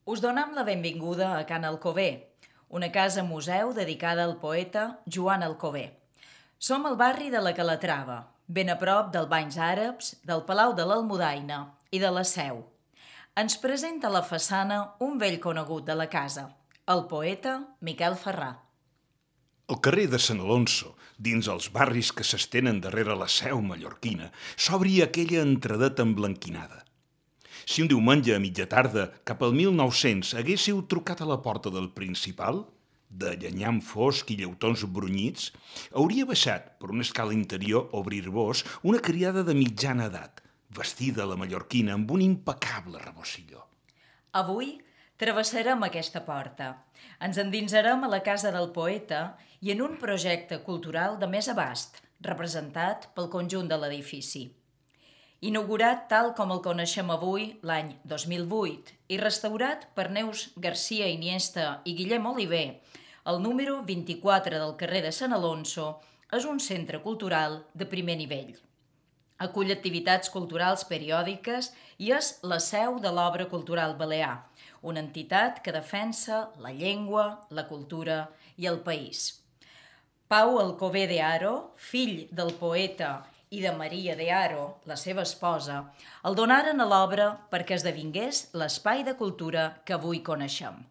Us donem la benvinguda a Can Alcover, una casa-museu dedicada al poeta Joan Alcover. Som al barri de la Calatrava, ben a prop dels Banys Àrabs, del Palau de l'Almudaina i de la Seu. Ens presenta a la façana un vell conegut de la casa, el poeta Miquel Ferrà. Al carrer de Sant Alonso, dins els barris que s'estenen darrere la Seu mallorquina, s'obri aquella entradeta emblanquinada. Si un diumenge a mitja tarda, cap al 1900, haguéssiu trucat a la porta del Principal, de llenyam fosc i lleutons brunyits, hauria baixat per una escala interior a obrir-vos una criada de mitjana edat, vestida a la mallorquina amb un impecable rebocilló. Avui travessarem aquesta porta. Ens endinsarem a la casa del poeta i en un projecte cultural de més abast, representat pel conjunt de l'edifici. Inaugurat tal com el coneixem avui l'any 2008 i restaurat per Neus Garcia Iniesta i Guillem Oliver, el número 24 del carrer de Sant Alonso és un centre cultural de primer nivell. Acull activitats culturals periòdiques i és la seu de l'Obra Cultural Balear, una entitat que defensa la llengua, la cultura i el país. Pau Alcover de Haro, fill del poeta i de Maria de Haro, la seva esposa, el donaren a l'obra perquè esdevingués l'espai de cultura que avui coneixem.